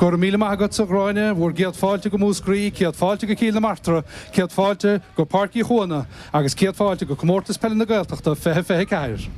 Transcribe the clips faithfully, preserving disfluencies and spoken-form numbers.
Go raibh míle maith agatsa, a Ghráinne, bhur gcéad fáilte go Múscraí, céad fáilte go Cill na Martra, céad fáilte go Páirc Uí Chuana agus céad fáilte go Comórtas Peile na Gaeltachta fiche fiche ceathair.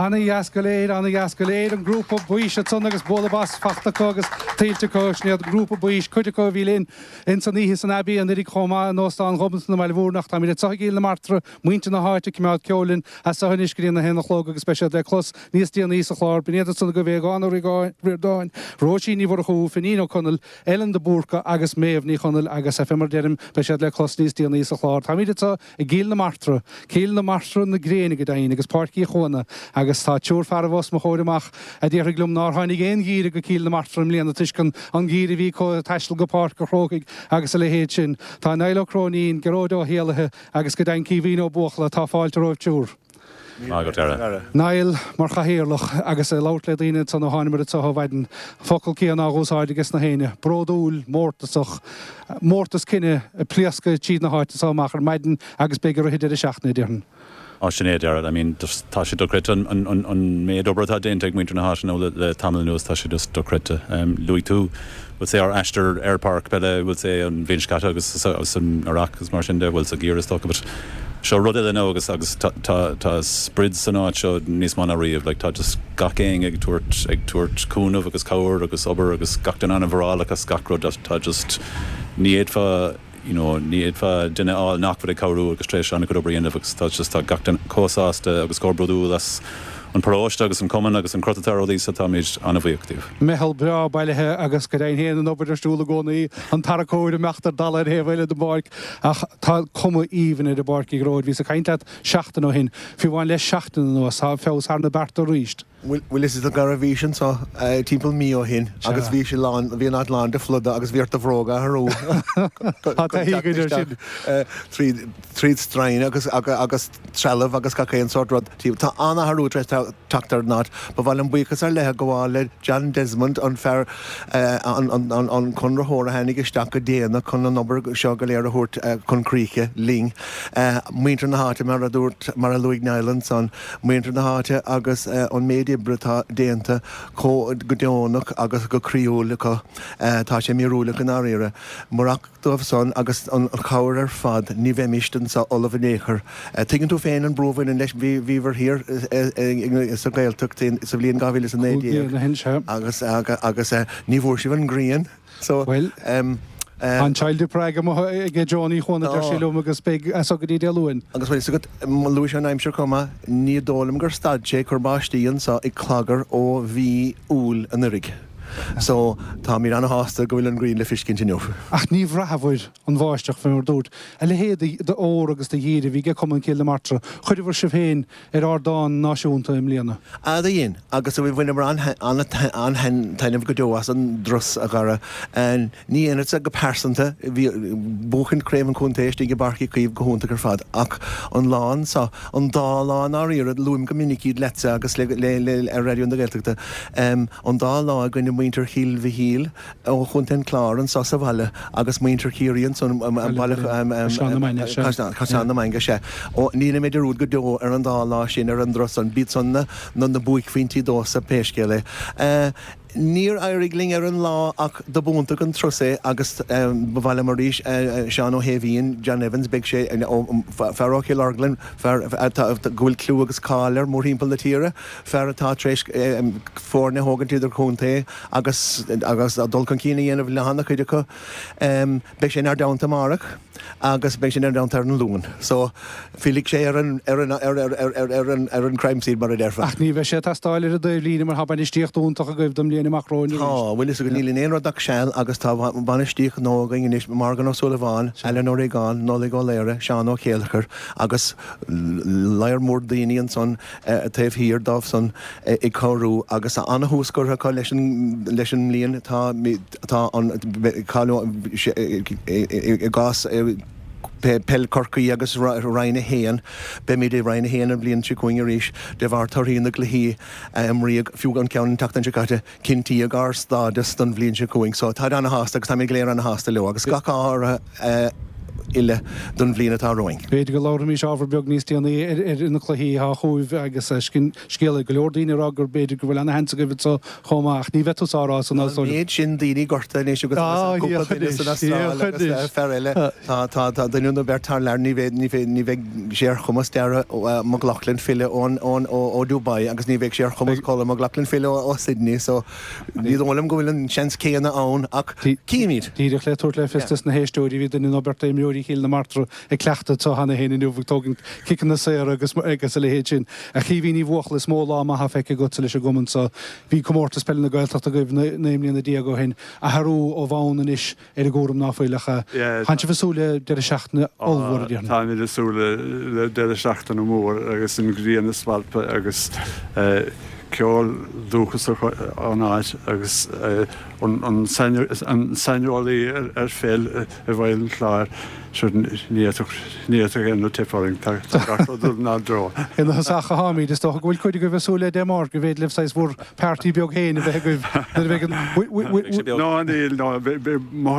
Ana-dheas go léir, ana-dheas go léir, an grúpa Baois ansan agus bualadh bos fachta acu agus tuillte acu, sin iad an grúpa Baois, cuid acu a bhí linn ins an oíche san Abbey anuraidh chomh maith in Óstán Ghobnatan i mBaile Mhúirne ach táimid anseo i gCill na Martra, muintir na háite ag coimeád ceoil linn as seo anois go dtí an a haon a chlog agus beidh siad le clos níos déanaí sa chlár. B'in iad ansan agaibh Aodhán Ó Ríordáin, Róisín Ní Mhurchú, Finín Ó Conaill, Ellen de Búrca agus Méabh Ní Chonaill agus fé mar a deirim beidh siad le clos níos déanaí sa chlár. Táimid anseo i gCill na Martra, Cill na Martra na gréine go deimhin agus Páirc Uí Chuana agus tá triúr fearaibh os mo chomhair amach a déarfaidh liom nár tháinig aon gheimhreadh go Cill na Martra i mbliana toisc an an geimhreadh a bhí acu ag taisteal go Páirc an Chrócaigh agus a leithéid sin. Tá Niall Ó Cróinín, Gearóid Ó hÉalaithe agus go deimhin Caoimhín Ó Buachalla. Tá fáilte romhaibh triúr. Maith agat, Dara. Niall mar chathaoirleach agus ag labhairt le daoine ansan ó thánamar anseo ó mhaidin, focal céanna á úsáid ages na héinne, bródúil, mórtasach, mórtas cine ag pléascadh tríd na háite so amach ar maidin agus beidh i rith an deireadh seachtaine, déarfainn. Á, sin é, Dara. I mean, just tá sé dochreidte an, an, an, an méid obair atá déanta ag muintir na háite now le, le tamall anuas, tá sé just dochreidte. Um, luaigh tú, bhuel say ár aistear ar páirc peile, bhuel say an bhliain seo caite agus agus an Iraq agus mar sin de, bhuel sa gheimhreadh is dócha, but seo rud eile now agus agus tá, tá, tá sprid san áit seo níos mó ná riamh, like tá just gach éinne ag tabhairt, ag tabhairt cúnamh agus cabhair agus obair agus gach duine an-mhórálach as gach rud, tá just ní fhéadfá you know, ní fhéadfá duine a fháil nach bhfuil ag cabhrú agus tar éis an-chuid obair a dhéanamh agus tá just tá gach duine chomh sásta agus chomh bródúil as an paróiste agus an cumann agus an cruth atá ar rudaí so táimid an-bhuíoch díobh. Meitheal breá bailithe agus go deimhin féin an obair ar siúl i gcónaí, an tarracóir ag imeacht ar dalladh ar thaobh eile den bpáirc ach tá cuma aoibhinn ar an bpáirc a Ghearóid. Bhíos ag caint leat seachtain ó shin, fiú amháin le seachtain anuas, tá feabhas thar na bearta arís. Bhuel is a Dhara bhís anseo timpeall mí ó shin agus bhí sé lán, bhí an áit lán de phluda agus bhí ort do bhróga a athrú Tá taithí againn air sin. tríd tríd stroighin agus agus trealamh agus gach aon sórt rud. Tá an-athrú tar éis teacht ar an áit. Ba mhaith liom buíochas ar leith a ghabháil le John Desmond, an fear, an an an conraitheoir a tháinig isteach go déanach chun an obair seo go léir a thabhairt chun críche linn. Muintir na háite mar a dúirt, mar a luaigh Niall ansan, muintir na háite agus an méid oibre atá déanta chomh go deonach agus go croíúil acu, tá sé míorúileach i ndáiríre. Murach dóibh san agus an chabhair ar fad ní bheimist anseo ullamh in aon chor. Tuigeann tú féin an brú a bhaineann leis, bhíobhair thiar sa Ghaeltacht sa bhliain dhá mhíle is a naoi déag agus agus ní bhfuair sibh an ghrian so. Bhuel, tá an Child of Prague amuigh ag Joan Uí Chuana, a deir sé liom, agus beidh as so go dtí Dé Luain. Agus bhfuil fhios agat, luaigh sé an aimsir chomh maith, ní dóigh liom gur stad sé ag cur báistí anseo ag Clogher ó mhí Iúil anuraidh. So, táimid ana-shásta go bhfuil an ghrian le feiscint inniu. Ach ní bhraitheabhair an bháisteach, fé mar dúirt. A leithéid d'ór agus de dhíre a bhí ag Cumann Chill na Martra. Chuireabhair sibh féin ar ardán náisiúnta i mbliana. Ah, do dhein. Agus bhaineamar an-taitneamh go deo as an dturas, a Dhara. Ní aonarsa go pearsanta, bhí buachaint Craobh an Chontae istigh i bPáirc Uí Chaoimh go hiontach ar fad, ach an lá anso, an dá lá i ndáiríre, luaim go minic iad leatsa agus le ar Raidió na Gaeltachta, an dá lá i gcoinne muintir Chill Mhichíl ó Chontae an Chláir anso sa bhaile agus muintir Chiarraí ansan i mbaile Caisleán na Mainge, sea. Ní dhéanfaidh mé dearúd go deo ar an dá lá sin ar an dturas san, b'iad san na buaicphointí domhsa pé scéal é. Níor éirigh linn ar an lá ach do b'iontach an turas é agus ba mhaith liom arís Seán Ó hAoibhín, John Evans, beidh sé, fear ó Chill Orglan, fear atá, go bhfuil clú agus cáil air mórthimpeall na tíre, fear atá tar éis foirne a thógaint idirchontae agus agus dul chun cinn a dhéanamh le han-chuid acu. Beidh sé inár dteannta amárach. agus beidh sé inár dteannta ar an Luan. So, fillfidh sé ar an, ar an, ar, ar, ar, ar, ar an, ar an crime scene mar a déarfá. Ach ní bheidh sé ag teastáil ar an dtaobhlíne mar tá bainistíocht iontach agaibh don mbliain amach romhainn arís. Tá, bhfuil fhios agat, níl in aon rud ach seal agus tá bainistíocht nua againn anois, Morgan Ó Súilleabháin, Alan Ó Riagáin, Nollaig Ó Laoire, Seán Ó Céilleachair agus lear mór daoine ansan taobh thiar dóibh san ag cabhrú agus ana-thús curtha acu leis an, leis an mbliain. Tá, tá an, i gcás Peil Chorcaí agus Roinn a haon, beimid i Roinn a haon an bhliain seo chugainn arís de bharr torthaí na gcluichí a imríodh, fiú an ceann an tseachtain seo caite, cinntíodh ár stádas don bhliain seo chugainn. So táid ana-shásta agus táimid go léir ana-shásta leo agus gach ádh orthu uile don bhliain atá romhainn. B'fhéidir go labharfaimis ábhar beag níos déanaí ar na cluichí atá chugaibh agus scéal ag go leor daoine ag rá gur b'fhéidir go bhfuil ana-sheans agaibh anseo chomh maith ach ní bheidh tusa á rá san Tá an méid sin daoine gortaithe anois agus cúpla duine san Astráil agus fear eile tá tá tá duine nó beirt thar lear ní bheidh ní bheidh ní bheidh sé ar chumas Dara McLaughlin filleadh ón ón ó ó Dubai agus ní bheidh sé ar chumas Colm McLaughlin filleadh ó Sydney so ní dóigh liom go bhfuil an seans céanna ann ach cífimid. Díreach le tabhairt le fios dos na héisteoirí bhí duine nó beirt d'imreoirí Chill na Martra ag cleachtadh anseo cheana féin inniu ag tógaint ciceanna saora agus agus a leithéid sin. A Chaoimhín Uí Bhuachalla is mó lá maith feicthe agatsa leis an gcumann so. Bhí comórtas peile na Gaeltachta agaibh naoi mbliana déag ó shin. Athrú ó bhonn anois ar an gcúram ná fuil ach tánn sibh ag súil le deireadh seachtaine ollmhór a déarfainn. Táimid ag súil le deireadh seachtaine mór agus an ghrian ag spalpadh agus ceol dúchasach ón áit agus an saineolaí ar pheil i bhFeidhm an Chláir. Sure ní fhéadfadh, ní fhéadfadh aon rud teip orainn, tá gach rud ag dul inár dtreo. Ina thosach a tháimid, is dócha go bhfuil cuid agaibh ag súil le Dé Máirt go bhféidir libh saghas bhur party beag féin a bheith agaibh nuair a bheidh an Ná níl, ná,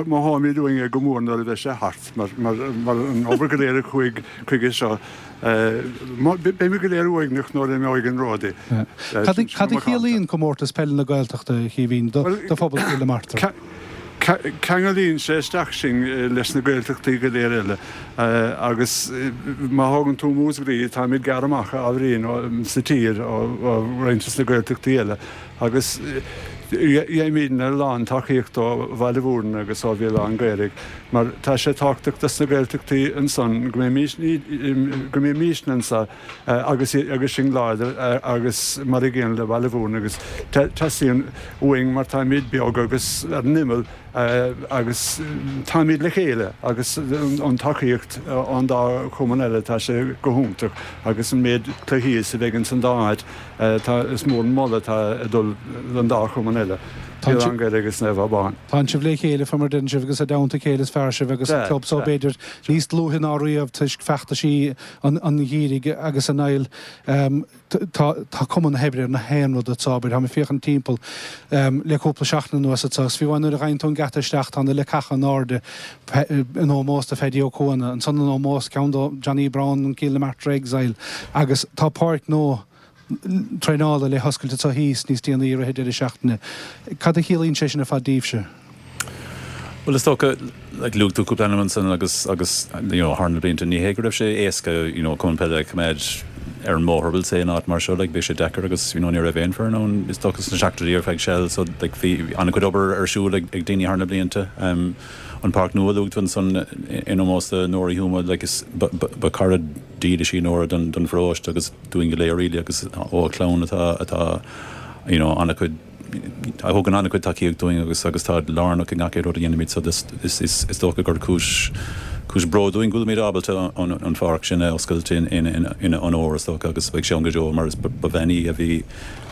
mothóimid uainn é go mór nuair a bheidh sé thart, mar, mar, mar an obair go léir a chuaigh chuige seo, beimid go léir uaigneach nuair a imeoidh an ród. Cad a chiallaíonn Comórtas Peile na Gaeltachta, a Chaoimhín, do phobal Chill na Martra? Ceanglaíonn sé isteach sinn leis na Gaeltachtaí go léir eile agus má thógann tú Múscraí, táimid gearr amach ábhairín sa tír ó roinnt de na Gaeltachtaí eile agus Gheibhimidne a lán tacaíocht ó Bhaile Mhúirne agus ó Bhéal Átha an Ghaorthaidh mar tá sé tábhachtach dos na Gaeltachtaí ansan go mbeidh mimísne anso agus agus sinn láidir agus mar a gcéanna le Baile Mhúirne agus teastaíonn uainn mar táimid beag agus ar an imeall agus táimid le chéile agus an tacaíocht ón dá chumann eile tá sé go hiontach agus an méid cluichí is a bheidh ins an dá áit tá is mór an moladh atá ag dul don dá chumann eile, Béal Átha an Ghaorthaidh agus Naomh Abán. Tánn sibh le chéile fé mar a deireann sibh agus i dteannta a chéile is fearr sibh agus an club so b'fhéidir níos dlúithe ná riamh toisc feachtaisí an gheimhridh agus a Niall tá tá cuma na hoibre ar na haon rud anso abair táim ag féachaint timpeall le cúpla seachtain anuas anso agus fiú amháin nuair a ghabhann tú an geata isteach tá na leacacha in airde in ómós do Pheaidí Ó Cuana ansan in ómós ceann do Johnny Brown an Cill na Martra Exile agus tá páirc nua traenála le hoscailt anso thíos níos déanaí i rith an deireadh seachtaine. Cad a chiallaíonn sé sin ar fad daoibhse? Bhuel is dócha, like luaigh tú cúpla ainm ansan agus agus you know thar na blianta ní hé go raibh sé éasca you know cumann peile a choimeád ar an mbóthar we'll say in áit mar seo like bhí sé deacair agus you know ní raibh aon foireann ann is dócha sna seachtóidí ar feadh seal so like bhí an-chuid obair ar siúl ag ag daoine thar na blianta. Um, an páirc nua a luaigh tú ansan in ómós do Nóra Uí Thuama like is ba ba ba cara dílis í Nóra don don pharóiste agus dúinn go léir really agus ó a clann atá atá you know an-chuid a thugann an-chuid tacaíocht dúinn agus agus tá lárnach i ngach aon rud a dhéanaimid so is is is is dócha gur cúis cúis bróid dúinn go bhfuilimid ábalta an an pháirc sin a oscailt in in in ina onóir is dócha agus beidh sé ann go deo mar is ba bhean í a bhí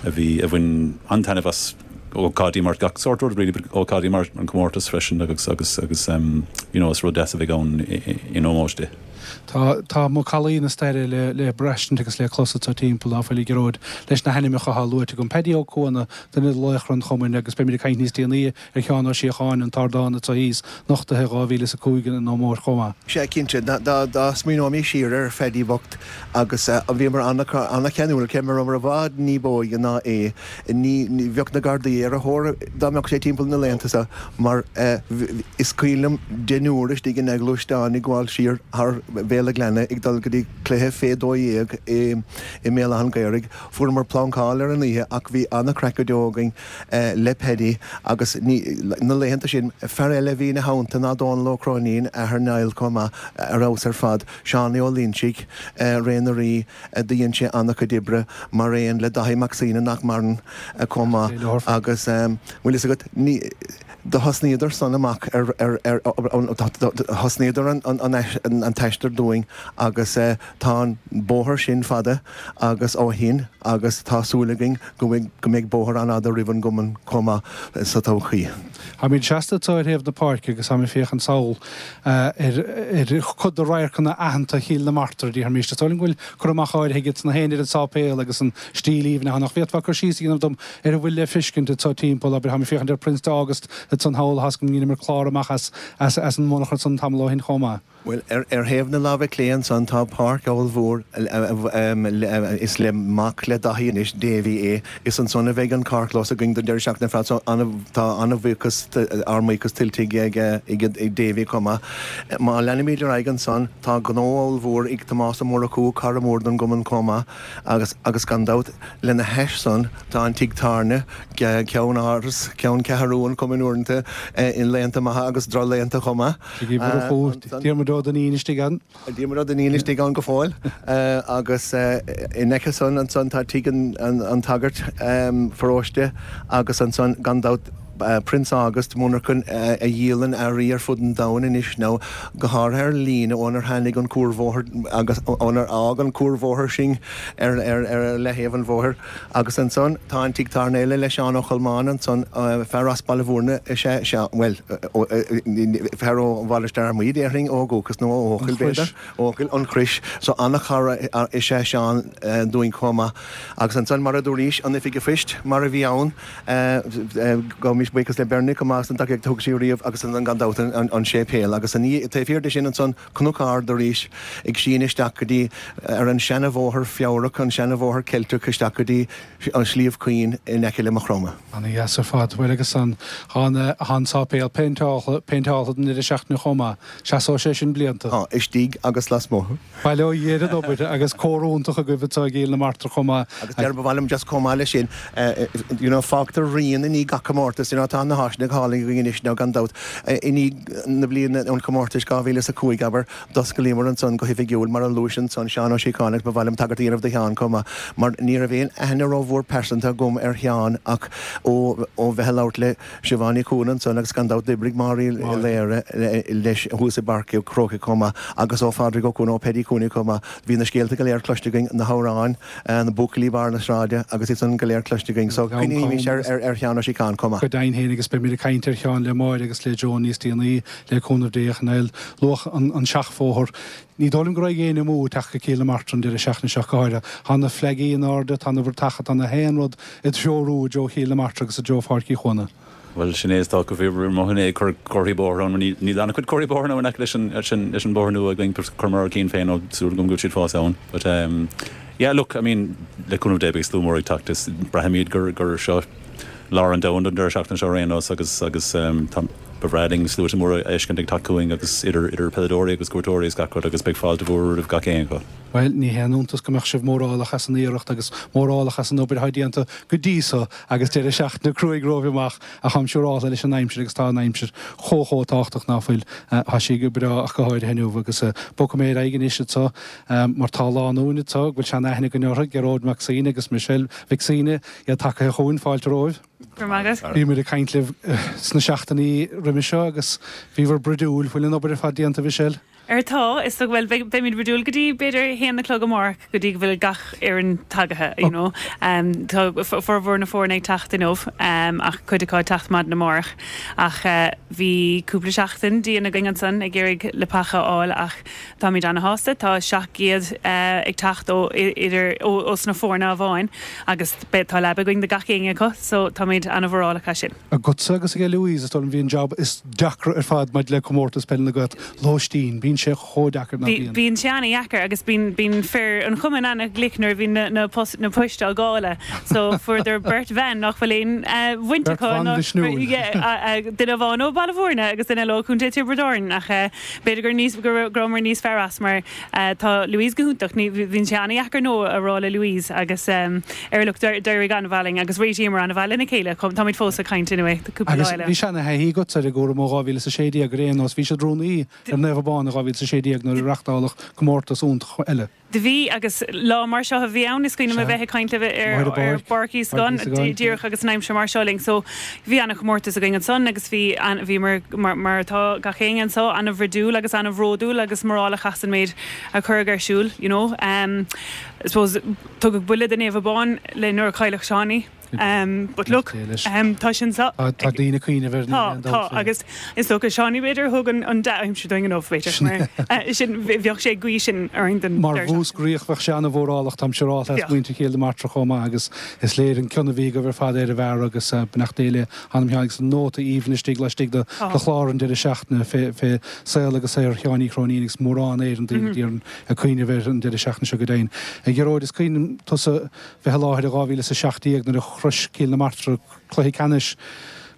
a bhí a bhain an-taitneamh as ócáidí mar gach sórt rud really but ócáidí mar an comórtas freisin agus agus agus um, you know is rud deas a bheidh ann in ómós di. Tá tá macallaí na staire le le braistint agus le clos anso timpeall ná fuil a Ghearóid leis na hainmneacha atá luaite agam. Paddy Ó Cuana, duine de laochra an chumainn agus beimid ag caint níos déanaí ar Sheán Ó Síocháin an t-ardán atá thíos, nochtaithe dhá mhíle is a cúig in ómós chomh maith. Sea, cinnte. Dá dá smaoineoimid siar ar Phaddy bocht agus bhíomar an-cheanúil, cé go rabhamar i bhfad ní b'óige ná é, ní bheadh na Gardaí ar a thóir dá mbeadh sé timpeall na laethanta seo mar is cuimhin liom deichniúr istigh ina ghluaisteán ag gabháil siar thar Bhéal a' Ghleanna ag dul go dtí cluiche fé dó dhéag i mBéal Átha an Ghaorthaidh. Fuaireamar plancáil ar an oíche ach bhí an-chraic go deo againn le Paddy agus ní, na laethanta sin, fear eile a bhí ina theannta ná Dónal Ó Cróinín, athair Niall chomh maith, ar fheabhas ar fad, Seánie Ó Loinsigh, Ré na Rí, do dhein sé an-chuid oibre mar aon le Daithí Mac Suibhne nach maireann chomh maith agus bhfuil fhios agat, ní, do thosnaíodar san amach ar, ar, ar, thosnaíodar an, an, an, an t-aistear dúinn agus tá an bóthar sin fada agus ó shin agus tá súil againn go mbeidh, go mbeidh bóthar an-fhada roimh an gcumann chomh maith sa todhchaí. Táimid seasta anseo ar thaobh na páirce agus táimid ag féachaint sall ar chuid de radharcanna aitheanta Chill na Martra, déarfaimis. Is dóigh liom go bhfuil cur amach áirithe aige na héinne ar an sáipéal agus an stíl aoibhinn ann. Ach bhféadfá cur síos a dhéanamh dom ar a bhfuil le feiscint anseo timpeall, abair, táimid ag féachaint ar Prince d'August ansan thall, tá a fhios agam go ndeineamar clár amach as an monarcha san tamall ó shin chomh maith. Bhuel, ar thaobh na láimhe clé ansan tá páirc ollmhór, is le mac le Daithí anois, Davy é. Is ansan a bheidh an carrchlós againn don deireadh seachtaine ar fad so tá an-bhuíochas, ár mbuíochas tuillte ag Davy chomh maith. Má leanaimid ar aghaidh ansan tá gnó ollmhór ag Tomás Ó Murchú, cara mór don gcumann chomh maith agus agus gan dabht lena hais san tá an tigh tábhairne, ceann áras, ceann ceathrú an chumainn uaireanta, i laethanta maithe agus drochlaethanta chomh maith. Tigh Uí Mhurchú, Diarmuid Ó Duinnín istigh ann. Diarmuid Ó Duinnín istigh ann go fóill agus in aice san ansan tá tigh an tsagairt pharóiste agus ansan gan dabht Prince August, monarchan a dhíolann earraí ar fud an domhain anois nó go háirithe ar líne ónar tháinig an cuarbhóthar agus ónar fhág an cuarbhóthar sinn ar leaththaobh an bhóthair. Agus ansan tá an tigh tábhairne eile le Seán Ó Cholmáin ansan, fear as Baile Mhúirne is ea Seán, bhuel, fear ó Mhainistir Fhear Maí déarfainn ó dhúchas nó ó Eochaill b'fhéidir, Eochaill, an Chrois, so an-chara is ea Seán dúinn chomh maith. Agus ansan mar a dúraís, an Oifig a' Phoist mar a bhí ann, gabhaimis arís buíochas le Bernie chomh maith as an tacaíocht a thug sí riamh agus an gan dabht an an séipéal agus an taobh thiar de sin ansan Cnoc Ard arís ag síneadh isteach go dtí ar an seanabhóthar Feabhrach, an seanabhóthar Ceilteach isteach go dtí an Sliabh Caoin in aice le Maigh Chromtha. Ana dheas ar fad. Bhuel agus an tá an sáipéal péinteáltha péinteáltha don deireadh seachtaine chomh maith. Seasóidh sé sin blianta. Tá, istigh agus lasmuigh. Bail ó Dhia ar an obair agus cór iontach agaibh anseo i gCill na Martra chomh maith. Agus deir ba mhaith liom just chomh maith leis sin, you know, fágtar rian i ndiaidh gach comórtas, you know, tá na háiseanna go hálainn againn anois now gan dabht. I ndiaidh na bliana an chomórtais dhá mhíle is a cúig, abair, d'osclaíomar ansan go hoifigiúil, mar a luais ansan Seán Ó Síocháin agus ba mhaith liom tagairt a dhéanamh do Sheán chomh maith, mar ní raibh aon aithne rómhór pearsanta agam ar Sheán ach ó ó bheith ag labhairt le Siobhán Ní Chuana ansan agus gan dabht d'oibrigh Máire Uí Laoire leis thuas i bPáirc an Chrócaigh chomh maith agus ó Phádraig Ó Cuana, ó Paddy Cooney chomh maith. Bhí na scéalta go léir cloiste againn, na hamhráin, na buachaillí barr na sráide agus iad san go léir cloiste againn. So cuimhnímis ar ar Sheán Ó Síocháin chomh maith. Go deimhin féin agus beimid ag caint ar Sheán le Máire agus le Joan níos déanaí, le cúnamh Dé, ach Niall, luach an an seachbhóthar. Ní dóigh liom go raibh éinne amú ag teacht go Cill na Martra an deireadh seachtaine seo, go háirithe. Tá na fleagaí in airde, tá na bratacha, tá na haon rud ag treorú i dtreo Chill na Martra agus i dtreo Pháirc Uí Chuana. Bhuel, sin é is dócha, bhí mo dhuine ag cur comharthaí bóthair ann, mar níl an-chuid comharthaí bóthair ann in aice leis an, leis an, leis an bóthar nua againn, chuireamar ár gcinn féin, ó súil agam go bhfuil siad fós ann. But um, yeah, look, I mean, le cúnamh Dé beidh slua mór ag teacht, is braithimid gur, gur seo lár an domhain don deireadh seachtaine seo ar aon nós agus, agus um, tá, ba bhreá linn sluaite móra a fheiscint ag teacht chugainn agus idir, idir peileadóirí agus cuairteoirí is gach rud agus beidh fáilte mhór roimh gach aon acu. Bhuel, ní haon iontas go mbeadh sibh mórálach as an iarracht agus mórálach as an obair atá déanta go dtí so agus deireadh seachtaine cruaidh romhaibh amach ach táim siúrálta leis an aimsir agus tá an aimsir chomh chomh tábhachtach ná fuil. Tá sí go breá ach go háirithe inniu agus bogfaidh mé ar aghaidh anois anseo mar tá lánúin anseo go bhfuil sean-aithne againn orthu, Gearóid Mac Suibhne agus Michelle Mhic Suibhne, iad tagaithe chugainn, fáilte romhaibh. Go raibh maith agat. Bhíomar ag caint libh sna seachtainí roimhe seo agus bhíobhair broidiúil. Bhfuil an obair ar fad déanta, Mhichelle? Ar tá, is dócha, bhuel, beidh, beimid broidiúil go dtí b'fhéidir a haon a chlog amárach go dtí go bhfuil gach fhoireann tagaithe, you know. Tá formhór na foirne ag teacht inniu ach cuid acu ag teacht maidin amárach. Ach bhí cúpla seachtain dian againn ansan ag iarraidh leapacha a fháil ach táimid ana-shásta, tá seacht gcéad ag teacht ó idir, ó, ós na foirne amháin agus beidh, tá leaba againn do gach éinne acu so táimid ana-mhórálach as sin. Agatsa agus ag Louise, is dóigh liom, bhí an jab is deacra ar fad maidir le Comórtas Peile na Gaeltachta, lóistín. Bíonn sé chomh deacair, ná bíonn? Bíonn sé ana-dheacair agus bíonn, bíonn fir an chumainn ana-ghlic nuair a bhíonn na, na post, na poist á ndáileadh. So fuaireadar beirt bhean nach bhfuil aon bhaint Beirt acu bhan ná, mhisniúil. yeah, duine amháin ó Bhaile Bhúirne agus duine eile ó Chontae Tiobraid Árann ach b'fhéidir gur níos, go raibh, go rabhamar níos fearr as mar tá Louise go hiontach, ní, bhíonn sé ana-dheacair no a rá le Louise agus ar look d'éirigh an-mhaith linn agus réitíomar an-mhaith lena chéile, táimid fós ag caint anyway, cúpla lá Agus eile. bhí seana-thaithí agatsa ar an gcúram ó dhá mhíle is a sé déag ar aon nós, bhí siad rúnaí ar Naomh Abán i dhá mhíle is a sé déag nuair a reáchtáladh comórtas iontach eile. Do bhí agus lá mar seo a bhí ann, is cuimhin liom a bheith ag caint libh ar Ar ar Pháirc Íosagáin Íosagáin, díreach agus an aimsir mar seo linn. So bhí ana-chomórtas againn ansan agus bhí an, bhíomar mar, mar atá gach éinne anseo, ana-bhroidiúil agus ana-bhródúil agus mórálach as an méid a cuireadh ar siúl, you know. Um, I suppose tugadh buille do Naomh Abán le nuair a cailleadh Seánie. Um, but look, um, tá sin sa Tá tá daoine ag cuimhneamh air Tá, tá, agus is dócha Seánie b'fhéidir thug an an dea-aimsir dúinn inniu b'fhéidir mar eh, sin bheadh sé ag guí sin orainn don Mar deireadh seachtaine. Mhúscraíoch bheadh sé ana-mhórálach, táim siúrálta as Bheadh. muintir Chill na Martra chomh maith agus is léir an cion a bhí agaibh ar fad ar an bhfear agus eh, beannacht Dé le hanam Sheáin agus an nóta aoibhinn istigh laistigh de Tá. de chlár an deireadh seachtaine fé fé saol agus saothar Sheáin Uí Chróinín agus mórán Éireann daoine mm -hmm. ag cuimhneamh air an deireadh seachtaine seo go deimhin. A Ghearóid is cuimhin tusa bheith i láthair i dhá mhíle is a seacht déag nuair a shroich Cill na Martra cluiche ceannais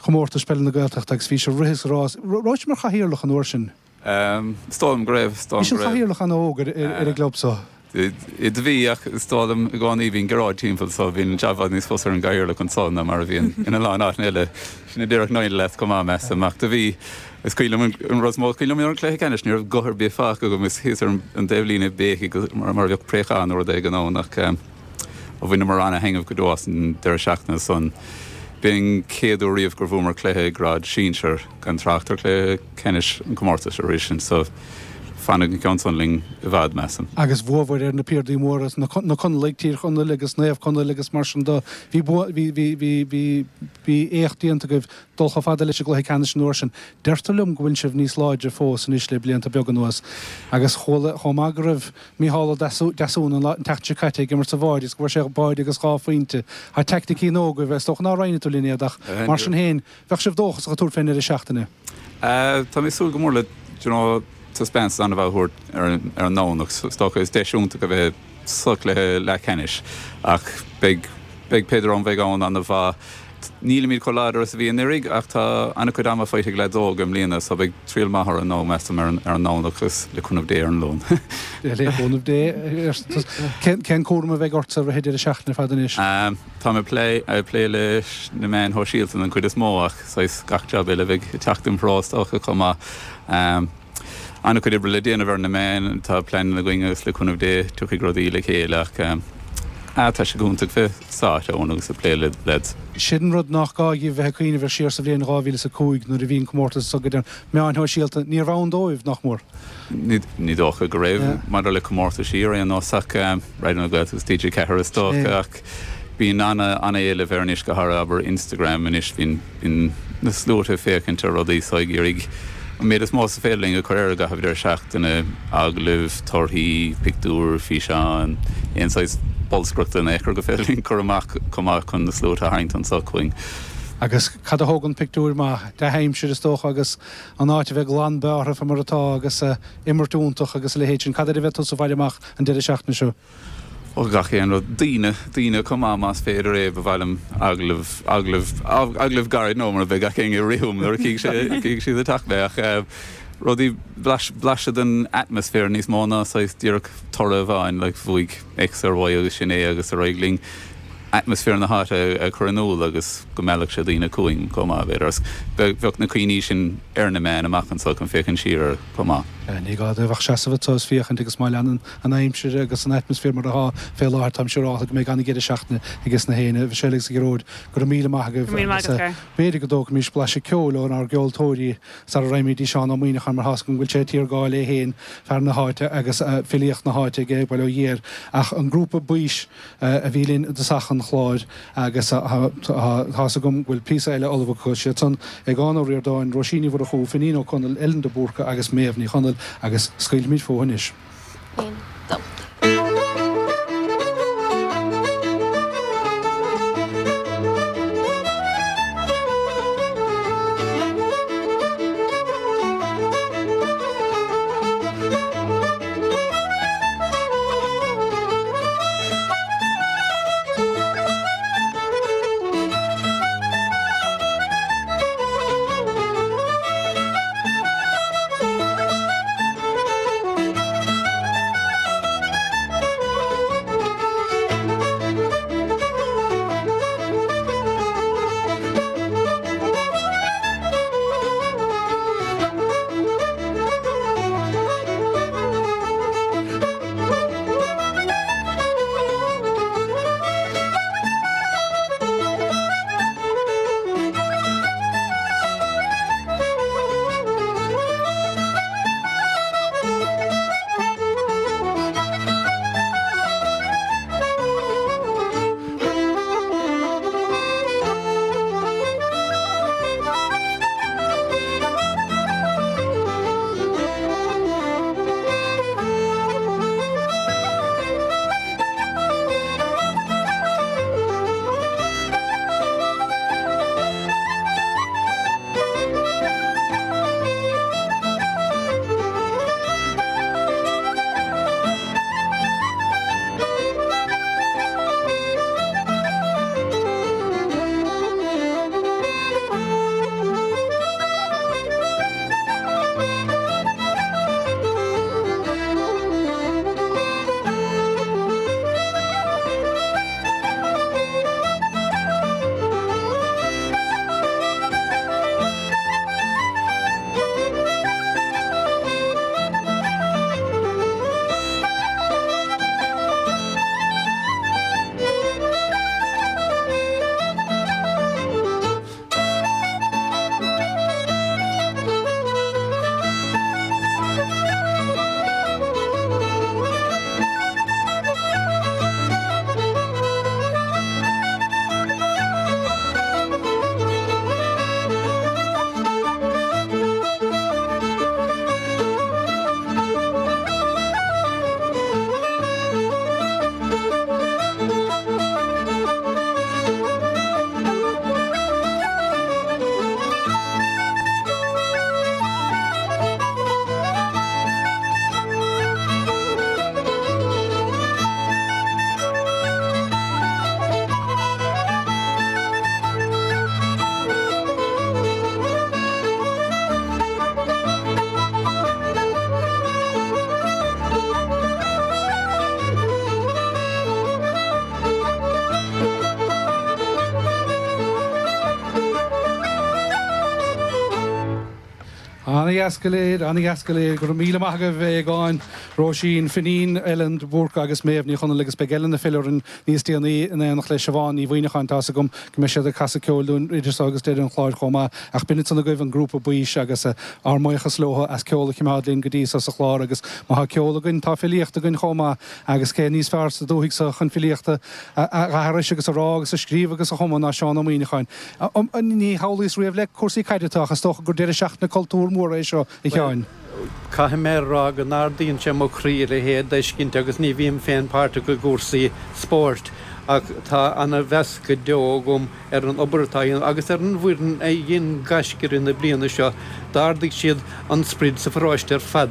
chomórtas peile na Gaeltachta agus bhí sé rith is rás. Raibh sé mar chathaoirleach an uair sin. Um, is dóigh liom go raibh Bhí sé is dóigh liom go raibh. chathaoirleach an-óg ar ar an gclub so. I do bhí ach is dóigh liom i gcónaí bhíonn Gearóid timpeall so bhíonn jab níos fusa ar an gcathaoirleach anso ná mar a bhíonn ina lán áit eile sin a déarfadh Niall leat chomh maith measaim ach do bhí is cuimhin liom an rud is mó cuimhin liom ar an cluiche ceannais ní raibh guth ar bith fágtha agam is thíos ar an dtaobhlíne béicigh mar mar a bheadh préachán nó rud éigin ann ach um, ó bhaineamar ana-thaitneamh go deo as an deireadh seachtaine san. B'in chéad uair riamh gur bhuamar cluiche grád sinsir gan trácht ar cluiche ceannais an comórtas arís sin so Fanfaidh an ceann san linn i bhfad, measaim. Agus bhuabhair ar na piardaí móra, na Conallaigh, Tír Chonaill agus Naomh Conaill agus mar sin de. Bhí bhí bhí bhí bhí bhí éacht déanta agaibh dul chomh fada leis an gcluiche ceannais an uair sin. Deirtear liom go bhfuil sibh níos láidre fós anois le blianta beaga anuas. Agus chuala chomh maith go raibh Mícheál Ó Deasún an tseachtain seo caite ag imirt sa bháide agus go bhfuair sé báide agus dhá phointe. Tá teaicticí nua agaibh, is dócha nár roinn tú linn iad ach mar sin féin, bheadh sibh dóchasach ag tabhairt fén ndeireadh seachtaine. Tá mé ag súil go mór le, do you know, taispeántas an-mhaith a thabhairt ar an nDomhnach. Is dócha is deis iontach a bheith sa chluiche leathcheannais ach beidh beidh pé dream a bheidh ann an-mhaith. Nílimid chomh láidir is a bhí anuraidh ach tá an-chuid ama faighte ag leaids óga i mbliana so beidh triail maith orainn nó measaim ar an nDomhnach agus le cúnamh Dé ar an Luan. Le cúnamh Dé. Cén cúram a bheidh ortsa i rith an deireadh seachtaine ar fad anois? Tá mé ag plé leis na meáin shóisialta den chuid is mó ach saghas gach jab eile a bheidh ag teacht im threo is dócha chomh maith. An-chuid oibre le déanamh ar na meáin, tá pleananna againn agus le cúnamh Dé tiocfaidh rudaí le chéile ach tá sé go hiontach bheith sa áit ann agus ag plé le leaids. Sin an rud nach gá dhaoibh bheith ag cuimhneamh air siar sa bhliain dhá mhíle is a cúig nuair a bhí an comórtas seo go deireadh. Meáin shóisialta, níorbh ann dóibh, nach mór. Ní dócha go raibh, maidir le comórtaisí ar aon nós ach Raidió na Gaeltachta agus T G ceathair is dócha ach bíonn an-éileamh air anois go háirithe abair Instagram anois bíonn bíonn na sluaite ag féachaint ar rudaí so ag iarraidh an méid is mó is féidir linn a chur air i gcaitheamh deireadh seachtaine, agallaimh, torthaí, pictiúir, físeáin, aon saghas bolscaireachta in aon chor gur féidir linn cur amach chomh maith chun na sluaite a tharraingt anso chugainn. Agus cad a thógann pictiúir maith? Dea-aimsir is dócha agus an áit a bheith glan bearrtha fá mar atá agus imirt iontach agus a leithéid sin. Cad air a bheidh tusa ag faire amach an deireadh seachtaine seo? Ó, gach aon rud. Daoine, daoine chomh maith más féidir é. Ba mhaith liom agallamh, agallamh, agallamh gairid nó mar a bheidh gach éinne ag rith uaim nuair a chífidh sé, chífidh siad ag teacht mé ach rudaí, blaiseadh den atmaisféar níos mó ná saghas díreach toradh amháin like bhuaigh X ar Y agus sin é agus ar aghaidh linn. Atmaisféar na háite a chur in iúl agus go meallfadh sé daoine chugainn chomh maith, b'fhéidir. Agus bheadh na cuimhní sin ar na meáin amach anseo chun féachaint siar air chomh maith. Ní gá dóibh ach seasamh anseo is féachaint agus má leanann an aimsir agus an atmaisféar mar atá fé láthair, táim siúrálta go mbeidh an-deireadh seachtaine ages na héinne. A Mhichelle agus a Ghearóid, go raibh míle maith agaibh agus b'fhéidir go dtógfaimis blaiseadh ceoil ónár gceoltóirí sara raghaimid dtí Seán Ó Muíneacháin mar tá's agam go bhfuil sé ag tiargáil é féin, fear na háite agus filíocht na háite aige, bail ó Dhia air. Ach an grúpa Baois a bhí linn i dtosach an chláir agus tá's agam go bhfuil píosa eile ullamh acu. Siad san, Aogán Ó Ríordáin, Róisín Ní Mhurchú, Finín Ó Conaill, Ellen de Búrca agus Méabh Ní Chonaill agus scaoilfimid fúthu anois. Aon, dó. Ana-dheas go léir, ana-dheas go léir. Go raibh míle maith agaibh, a Aogáin, Róisín, Finín, Ellen de Búrca agus Méabh Ní Chonaill agus beidh Ellen ag filleadh orainn níos déanaí in éineacht le Siobhán Ní Mhuineacháin. Tá's agam go mbeidh siad ag casadh ceoil dúinn idir seo agus deireadh an chláir chomh maith. Ach b'in ansan agaibh an grúpa Baois agus ár mbuíochas leo as ceol a choimeád linn go dtí seo sa chlár agus má tá ceol againn tá filíocht againn chomh maith agus cé níos fearr sa dúthaigh seo chun filíochta a aithris agus a rá agus a scríobh agus a chumadh ná Seán Ó Muíneacháin. Ní shamhlaíos riamh le cúrsaí caide tú ach is dócha gur deireadh seachtaine cultúir mór é seo, a Sheáin. Caithfidh mé a rá go n-ardaíonn sé mo chroí a leithéid d'fheiscint agus ní bhím féin páirteach i gcúrsaí spóirt ach tá ana-mheas go deo agam ar an obair atá á dhéanamh agus ar an bhfoireann a dhein gaisce i rith na bliana seo. D'ardaigh siad an sprid sa pharóiste ar fad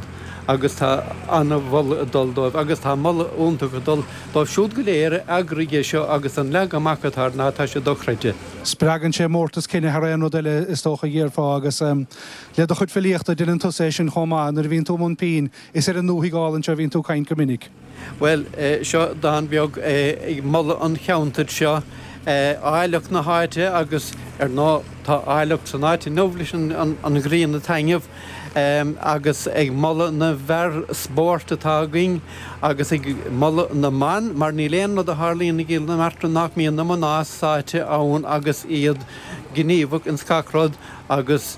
agus tá ana-mholadh ag dul dóibh agus tá moladh iontach ag dul dóibh siúd go léir a eagraigh é seo agus an leagan amach atá air ná tá sé dochreidte. Spreagann sé mórtas cine thar aon rud eile is dócha a déarfá agus le do chuid filíochta déanann tusa é sin chomh maith nuair a bhíonn tú i mbun pinn is ar an ndúthaigh álainn seo a bhíonn tú ag caint go minic. Bhuel, seo dán beag ag moladh an cheantair seo, áilleacht na háite agus ar ndóigh tá áilleacht san áit inniu leis an ghrian ag taitneamh agus ag moladh na bhfear spóirt atá againn agus ag moladh na mban mar níl aon rud a tharlaíonn i gCill na Martra nach mbíonn na mná sáite ann agus iad gníomhach ins gach rud agus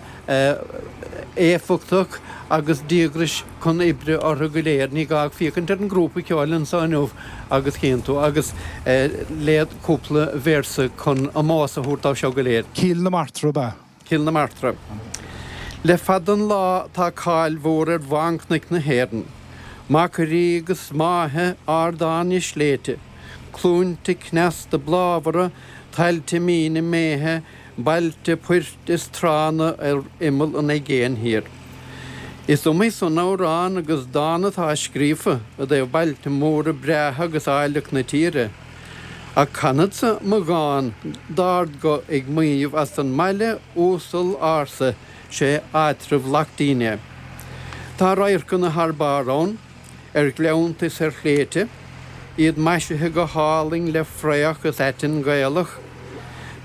éifeachtach agus díograis chun oibre orthu go léir. Ní gá ach féachaint ar an ngrúpa ceoil anseo inniu agus chíonn tú. Agus léad cúpla véarsa chun ómós a thabhairt dóibh seo go léir. Cill na Martra ab ea? Cill na Martra. Le fada an lá tá cáil mhór ar bhánchnoic na hÉireann. Machairí agus máithe, ardáin is sléibhte, cluainte cneasta bláthmhara, tailte míne méithe, bailte poirt is tránna ar imeall an aigéin thiar. Is iomaí san amhrán agus dán atá scríofa i dtaobh bailte móra breátha agus áilleacht na tíre. Ach canfadsa mo dhán d'ardghuth ag maíomh as an mbaile uasal ársa, sé áitreabh Laichtín é. Tá radharcanna thar barr ann, ar ghleannta is ar shléibhte, iad maisithe go hálainn le fraoch is aiteann Gaelach.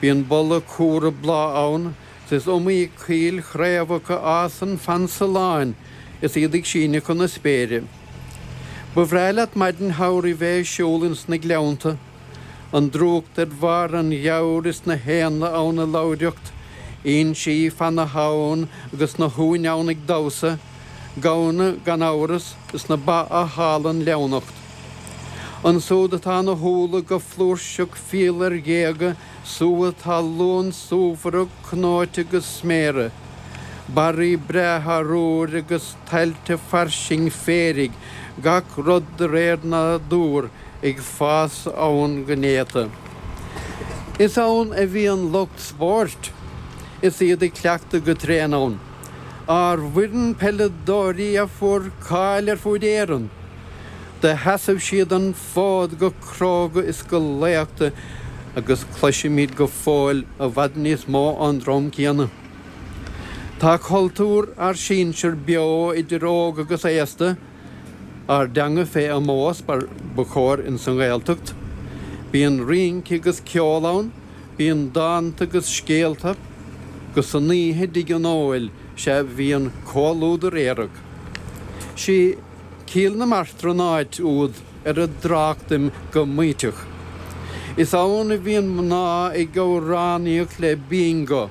Bíonn boladh cumhra bláth ann 's is iomaí coill chraobhach a fhásann fan tsulláin is iad ag síneadh chun na spéire. Ba bhreá leat maidin shamhraidh bheith ag siúl ins na gleannta, an drúcht ar bharr an gheabhair is na héanlaith ann ag ladhraíocht, insí fan na habhann agus na huain ann ag damhsa, gamhna gan amhras is na ba á thálann leamhnacht. Ansúd atá na húlla go flúirseach fial ar ghéaga, súgha talún súmhara cnóite go sméara, barraí breátha arúir agus tailte fairsing féaraigh, gach rud de réir nádúir ag fás ann go néata. Is ann a bhíonn lucht spóirt is iad ag cleachtadh go tréan ann. Ár bhfoireann peileadóirí a fuair cáil ar fuaid Éireann, do sheasaimh siad an fód go cróga is go laochta agus cloisimid go fóill i bhfad níos mó ón dream céanna. Tá cultúr ár sinsear beo idir óg agus aosta, ár dteanga fé ómós mar ba chóir ins an nGaeltacht. Bíonn rince agus ceol ann, bíonn dánta agus scéalta, 'gus san oíche i dtigh an óil sea bhíonn comhluadar aerach. Sí Cill na Martra an áit úd ar a dtráchtaim go maíteach. Is ann a bhíonn mná ag amhránaíocht le bíngo,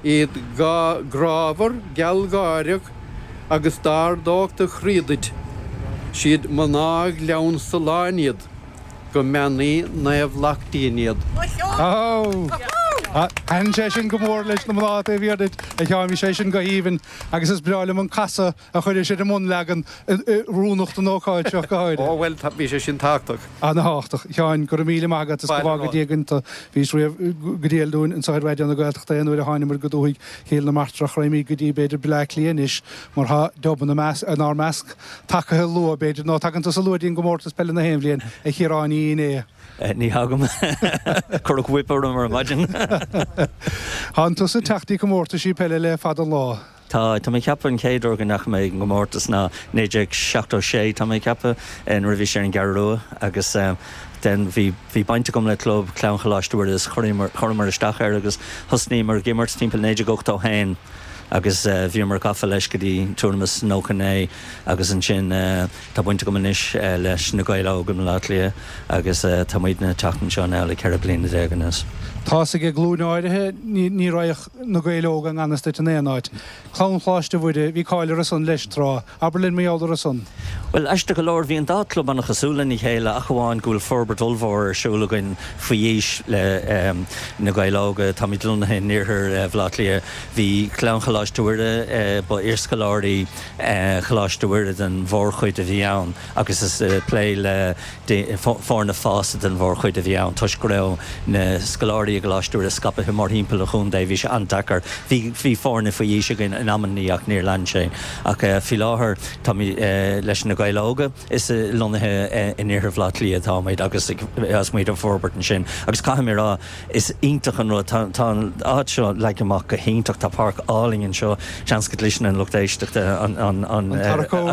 iad grámhar, gealgháireach agus d'ardódh do chroí duit. Siad mná Ghleann Tsulláin iad, go mbeannaí Naomh Laichtín iad. Thaitin sé sin go mór leis na mná taobh thiar duit, a Sheáin, bhí sé sin go haoibhinn agus is breá liom an casadh a chuiris ar an mbunleagan oiriúnach don ócáid seo go háirithe. Ó bhuel, bhí sé sin tábhachtach. Ana-thábhachtach. A Sheáin, go raibh míle maith agat, is go bhfága Dia againn tú. Bhís riamh go diail dúinn anseo ar Raidió na Gaeltachta aon uair a thánamar go dúthaigh Chill na Martra ach raghaimid go dtí b'fhéidir Bleá Cliath anois mar tá Dub inár measc tagaithe luath b'fhéidir nó tagann tusa luath dtí'n gcomórtas peile na haon bhliain, a Chiaráin Uí Fhinnéadha. Ní thagaim. Cuireadh whip orm ar maidin. Tánn tusa ag teacht dtí comórtaisí peile le fada an lá. Tá. Tá mé ag ceapadh an chéad uair go ndeachaigh mé ag an gcomórtas ná naoi déag seachtó sé, tá mé ag ceapadh, nuair a bhí sé ar an gCeathrú Rua agus then bhí bhí baint agam le club Clann Choláiste Mhuire is chuireamar chuireamar isteach air agus thosnaíomar ag imirt timpeall naoi déag ochtó haon. agus bhíomar gafa leis go dtí tuairim is nócha naoi agus ansin tá baint agam anois leis na Gaeil Óga i mBaile Átha Cliath agus tá muidne ag teacht anseo now le ceithre bliana déag anuas. Tá's ag glúin áirithe ní raghadh na Gaeil Óga i ngan fhios duit in aon áit. Clann Choláiste Mhuire, bhí cáil orthu san leis tráth. Abair linn mar gheall orthu san. Bhuel, aisteach go leor, bhí an dá chlub an-chosúil lena chéile ach amháin go bhfuil forbairt ollmhór ar siúl againn faoi aois le na Gaeil Óga. Táimid lonnaithe in iarthar Bhaile Átha Cliath. Bhí Clann Choláiste Mhuire, ba iarscoláirí Choláiste Mhuire den mhórchuid a bhí ann agus is plé le foirne fásta den mhórchuid a bhí ann toisc go raibh na scoláirí i gColáiste Mhuire scaipthe mórthimpeall an chontae. Bhí sé an-deacair. Bhí bhí foirne faoi aois againn in amannaí ach níor lean sé. Ach faoi láthair táimid leis na Gaeil Óga. Is lonnaithe in iarthar Bhaile Átha Cliath atáimid agus agus muid ag forbairt ansin. Agus caithfidh mé a rá, is iontach an rud, tá tá an áit seo leagtha amach go hiontach, tá páirc álainn anseo, seans go gcloiseann an lucht éisteachta an an an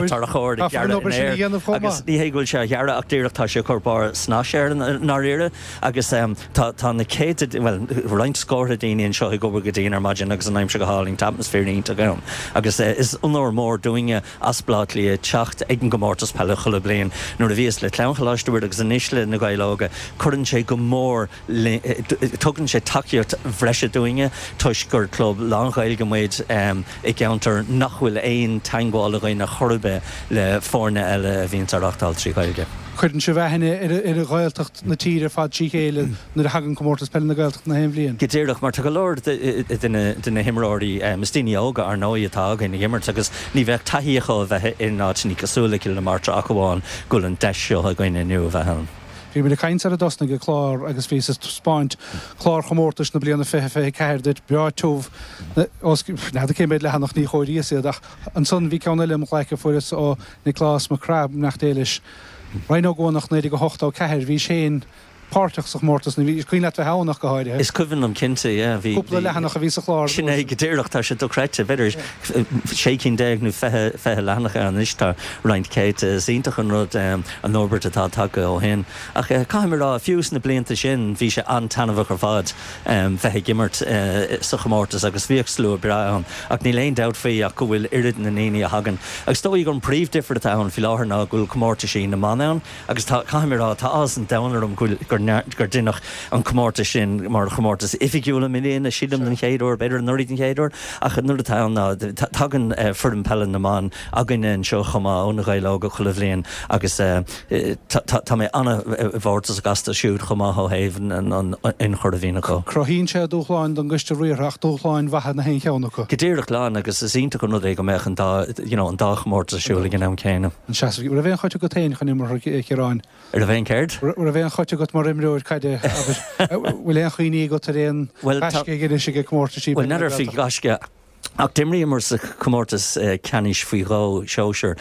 tarracóir ag gearradh in aer agus ní hé go bhfuil sé á ghearradh ach díreach tá sé ag cur barr snais air i ndáiríre agus tá tá na céadta, bhuel roinnt scórtha daoine anseo ag obair go dian ar maidin agus an aimsir go hálainn, tá atmaisféar iontach ann agus is onóir mór dúinne as Baile Átha Cliath teacht ag an gcomórtas peile chuile bliain. Nuair a bhíos le Clann Choláiste Mhuire agus anois le Na Gaeil Óga, cuireann sé go mór le, tugann sé tacaíocht bhreise dúinne toisc gur club lán-Ghaeilge muid i gceantar nach bhfuil aon teagmháil againn ar chor ar bith le foirne eile a bhíonns á reáchtáil trí Ghaeilge. Cuireann sibh aithne ar Ghaeltacht na tíre ar fad trí chéile nuair a thagann Comórtas Peile na Gaeltachta na haon bhliain. Go díreach, mar tá go leor de na himreoirí, is daoine óga ar ndóigh atá againn ag imirt agus ní bheadh taithí acu a bheith in áiteanna cosúil le Cill na Martra ach amháin go bhfuil an deis seo againn inniu a bheith ann. Bhí muid ag caint sar a dtosnaigh an clár agus bhíos ag taispeáint clár chomórtais na bliana fiche fiche ceathair duit, breá tiubh, os n'fheadar cé mhéad leathanach, ní chomhairíos iad ach ansan bhí ceann eile im ghlaic a fuaireas ó Nioclás Mac Craith, beannacht Dé leis. Ryan Ó Guanach naoi déag a hochtó ceathair, bhís féin páirteach sa chomórtas, nó bhí, is cuimhin leat bheith ann ach go háirithe. Is cuimhin liom cinnte, yeah, bhí, Cúpla bhí, leathanach a bhí sa chlár. Sin é go díreach, tá sé dochreidte, b'fhéidir sé cinn déag nó fiche, fiche leathanach ann anois, tá roinnt céadta, is iontach an rud an fhorbairt atá tagtha ó shin. Ach caithfidh mé a rá, fiú sna blianta sin, bhí sé an-taitneamhach ar fad bheith ag imirt sa chomórtas agus bhíodh slua breá ann. Ach níl aon dabht faoi ach go bhfuil oiread na ndaoine a thagann. Agus is dóigh gur an príomhdhifear atá ann faoi láthair ná go bhfuil comórtaisí na mban ann agus tá, caithfidh mé a rá, tá áthas an domhain orm go bhfuil, gur gur deineadh an comórtas sin mar chomórtas oifigiúil i mbliana, sílim, den chéad uair, b'fhéidir anuraidh den chéad uair, ach an rud atá ann ná tagann foireann peile na mban againne anseo chomh maith ó Na Gaeil Óga chuile bhliain agus tá mé an-mhórtasach astu siúd chomh maith ó thaobh an ionchur a bhíonn acu. Cruthaíonn sé dúshláin don gcoiste riartha ach dúshláin mhaithe na haon cheann acu. Go díreach lán agus is iontach an rud é go mbeadh an dá, you know, an dá chomórtas ar siúl ag an am céanna. An seasamh, raibh aon chait agat féin chun imeartha, a Chiaráin? Raibh aon céard? Raibh aon chait agat mar imreoir caide, abair? Bhfuil aon chuimhní agat ar aon ghaisce a dheinis ag comórtaisí Bhuel, n'fheadar faoi ghaisce ach d'imríomar sa chomórtas ceannais faoi dhó, sóisear.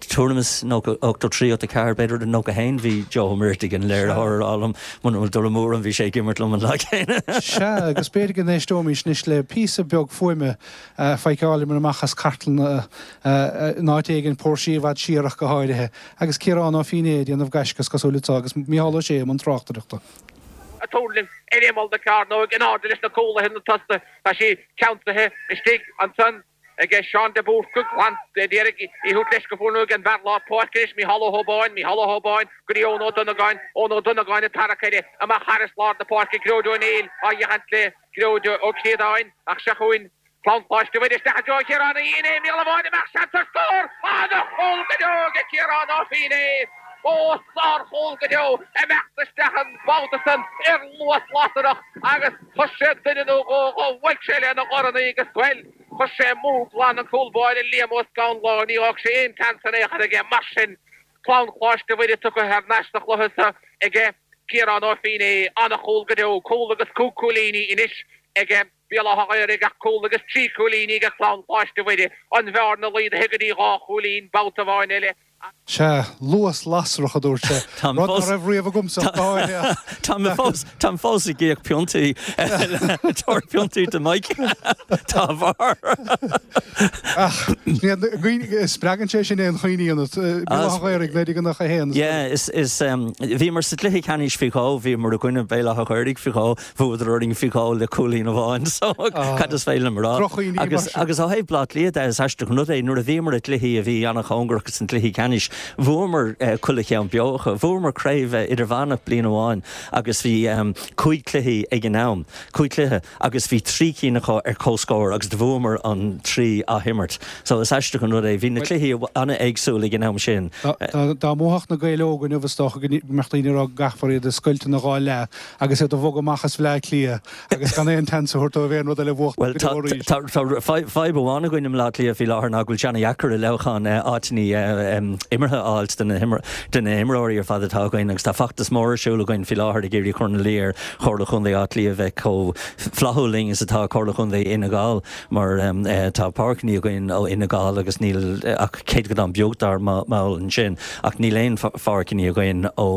Tuairim is nócha, ochtó trí, ochtó ceathair, b'fhéidir, nócha haon, bhí Joe Ó Muirthigh, an léiritheoir, ag rá liom, muna bhfuil dul amú orm, bhí sé ag imirt liom an lá céanna. Sea, agus b'fhéidir go n-éisteoimís anois le píosa beag fuaime a feiceáileamar amach as cartlann in áit éigin, póirsí i bhfad siar ach go háirithe, agus Ciarán Ó Fínné ag déanamh gaisce, is cosúil, anseo, agus Mícheál Ó Sé i mbun tráchtaireachta. Ag tuirlingt ar imeall na cearnóige in airde leis na cúlaithe na tosaithe. Tá sí ceansaithe istigh ansan ag Seán de Búrca, glan d'iarraidh í a thabhairt leis go fuair ag an bhfear lár páirce anois, Mícheál Ó hÓbáin, Mícheál Ó hÓbáin go dtí Eoin Ó Donnagáin, Eoin Ó Donnagáin ag tarrac air amach thairis lár na páirce, Gearóid Ó Néill á sheachaint le Gearóid Ó Críodáin ach seo chugainn Clann Choláiste Mhuire isteach i dtreo Chiaráin Uí Fhinné, míle amháin amach, seans ar scór! Ana-chúl go deo ag Ciarán Ó Fínné! Ó, sár-chúl go deo! Imeacht isteach an babhta san ar luas lasrach agus chuir sé duine nó dhó dho, bhuail sé lena dhorn í agus, bhuel, chuir sé amú glan an cúl báire Liam Ó Scanláin, ní fhág sé aon tseans in aon chor aige. Mar sin, Clann Choláiste Mhuire tugtha thar n-ais sa chluiche so aige Ciarán Ó Fínné. Ana-chúl go deo, cúl agus cúig cúilíní anois aige. Béal Átha Ghaorthaidh ach cúl agus trí chúilíní ag Clann Choláiste Mhuire, an bhearna laghdaithe go dtí dhá chúilín, babhta amháin eile Sea, luas lasrach a dúirt sé. Táim Rud fós- nach raibh riamh agamsa ach go háirithe. Tá mé fós Táim fós ag íoc piontaí tabhair piontaí do Mike dá bharr. Ach spreagann sé sin aon chuimhní ionat Béal Átha an Ghaorthaidh naoi déag nócha a haon. Yeah, is is um, bhíomar sa gcluiche ceannais faoi dhó, bhíomar i gcoinne Béal Átha an Ghaorthaidh faoi dhó, bhuadar orainn faoi dhó le cúilín amháin, so cad is féidir liom a rá. Droch-chuimhní mar Agus sin. agus ó thaobh Bleá Cliath de is aisteach an rud é nuair a bhíomar i gcluichí a bhí an-chóngarach san gcluiche ceannais, bhuamar uh, chuile cheann beo acu. Bhuamar craobh uh, idirmheánach bliain amháin agus bhí um, cúig cluichí ag an am, cúig cluiche agus bhí trí cinn acu ar comhscór agus do bhuamar an trí athimirt. So is aisteach an rud é bhí na cluichí an-éagsúil ag an am sin. Dá mbuafadh na Gaeil Óga inniu is dócha go mbeadh daoine ag rá go gcaithfear iad a scoilt ina dhá leath agus iad a bhogadh amach as Bleá Cliath agus gan aon tseans a thabhairt dóibh aon rud eile a bhuachtaint Well go deo arís. tá fadhb amháin againn i mBleá Cliath faoi láthair ná go bhfuil sé an-deacair i leabhchan áiteanna imeartha a fháilt de na himreoirí ar fad atá againn agus tá feachtas mór ar siúl againn faoi láthair ag iarraidh cur ina luí ar Chomhairle Chontae Átha Cliath bheith chomh flaithiúil linn is atá Comhairle Chontae Fhine Gall mar tá páirceanna againn ó Fhine Gall agus níl ach céatadán beag dár mbaill ansin ach níl aon pháirceanna againn ó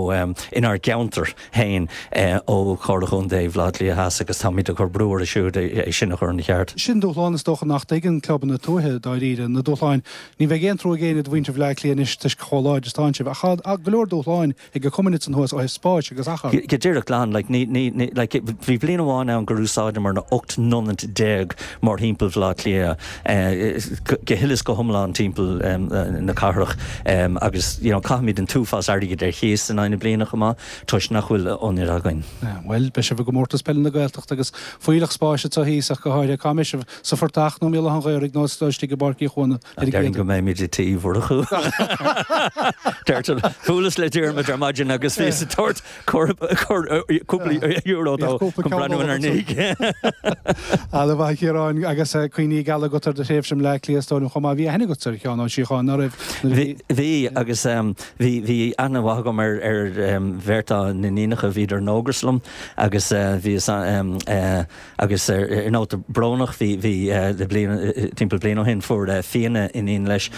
inár gceantar féin ó Chomhairle Chontae Bhaile Átha Cliath Theas agus táimid ag cur brú orthu siúd é sin a chur ina cheart. Sin dúshlán is dócha nach dtuigeann clubanna tuaithe dáiríre na dúshláin ní bheidh aon trua ag éinne do mhuintir Bhaile Átha Cliath anois toisc chomh láidir is atá sibh ach go leor dúshláin ag na cumainn san thuas ó thaobh spáis agus achar. Go díreach glan like, ní, ní, ní, like, bhí bliain amháin ann gur úsáideamar na ocht n-ionad déag mórthimpeall Bhaile Átha Cliath eh, go huile is go hiomlán timpeall um, na cathrach um, agus you know, caithimid an t-uafás airgid ar chíos in aghaidh na bliana chomh maith toisc nach bhfuil ionaid againn. Well, beidh sibh i gcomórtas peile na Gaeltachta agus fuílleach spáis atá thíos ach go háirithe cá mbeidh sibh sa Phortach nó Béal Átha an Ghaorthaidh nó istigh i bPáirc Uí Chuana. Déarfainn go mbeimid i Tí Mhurchú. Bhuaileas le Diarmuid ar maidin agus bhíos ag tabhairt cúpla euro dó chun breathnú ar ndiaidh. An-mhaith a Chiaráin agus cuimhní geala agat ar do thréimhse i mBleá Cliath is dóigh liom chomh maith. Bhí aithne agat ar Sheán Ó Síocháin ná raibh? Bhí agus bhí bhí aithne mhaith agam ar ar bheirt dá n-iníonacha bhíodar in Ógras liom agus bhí agus ar nóta brónach bhí bhí le bliain timpeall bliain ó shin fuair Fianna iníon leis